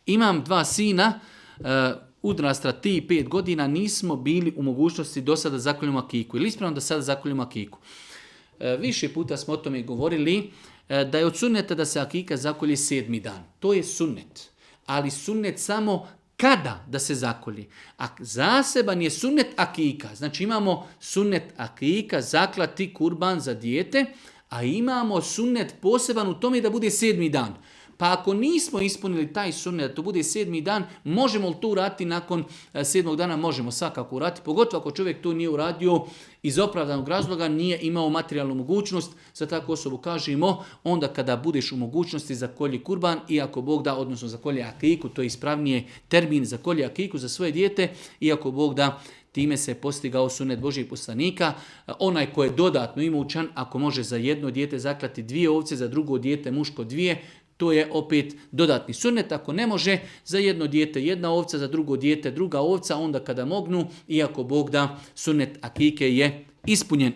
Imam 2 sina, uzrasta 3-5 godina, nismo bili u mogućnosti do sada zakoljemo akiku. Ili ispravno da sada zakoljemo akiku? Više puta smo o tome govorili, da je od sunneta da se akika zakolji 7. dan. To je sunnet. Ali sunnet samo kada da se zakolji. A zaseban je sunnet akika. Znači imamo sunnet akika, zaklati kurban za dijete, a imamo sunnet poseban u tome da bude 7. dan. Pa ako nismo ispunili taj sunnet da to bude 7. dan, možemo li to uraditi nakon 7. dana? Možemo svakako uraditi, pogotovo ako čovjek to nije uradio iz opravdanog razloga, nije imao materijalnu mogućnost. Za takvu osobu kažemo, onda kada budeš u mogućnosti za kolji kurban, i ako Bog da, odnosno za kolje akiku, to je ispravnije termin za kolje akiku za svoje dijete, i ako Bog da, time se postigao sunnet Božjih poslanika. Onaj ko je dodatno imućan, ako može za jedno dijete zaklati 2 ovce, za drugo dijete muško 2, to je opet dodatni sunnet. Ako ne može, za jedno dijete 1 ovca, za drugo dijete 2 ovca, onda kada mognu, iako Bog da, sunnet akike je ispunjen.